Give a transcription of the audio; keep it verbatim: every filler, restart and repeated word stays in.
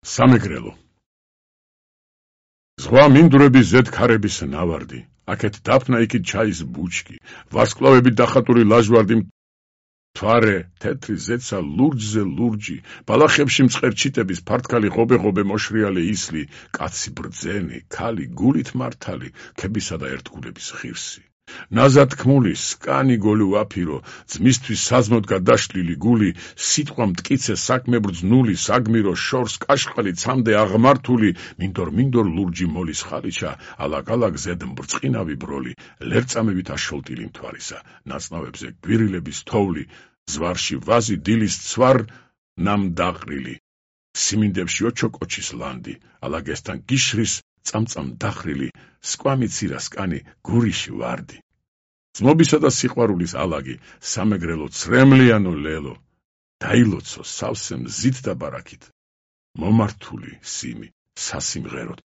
სამეგრელო ზღვა მინდვრების ზედ ქარების ნავარდი, აქეთ დაფნა იქით ჩაის ბუჩკი, ვარსკვლავებით დახატული ლაჟვარდი მთვარე, თეთრი ზეცა ლურჯზე ლურჯი, ბალახებში მწყერჩიტების ფართკალი ღობე-ღობე მოშრიალე ისლი, კაცი ბრძენი, ქალი გულით მართალი, ქებისა და ერთგულების ღირსი. ნაზად თქმული, სკანი გოლი ვაფირო, ძმისთვის საზმოდ გადაშლილი გული, სიტყვა მტკიცე საქმე ბრძნული, საგმირო შორს კაშყალი ცამდე აღმართული, მინდორ-მინდორ ლურჯი მოლის ხალიჩა, ალაგ-ალაგ ზედ მბრწყინავი ბროლი, ლერწამებით აშოლტილი მთვარისა, ნაწნავებზე გვირილების თოვლი, ზვარში ვაზი დილის ცვარ ნამდაყრილი, სიმინდებში ოჩოკოჩის ლანდი, ალაგესთან გიშრის წამწამ დახრილი, სკვამი ცირა სკანი გურიში ვარდი. ძმობისა და სიყვარულის ალაგი, სამეგრელო ცრემლიანო ლელო, დაილოცო სავსე მზით და ბარაქით, მომართული სიმი სასიმღეროდ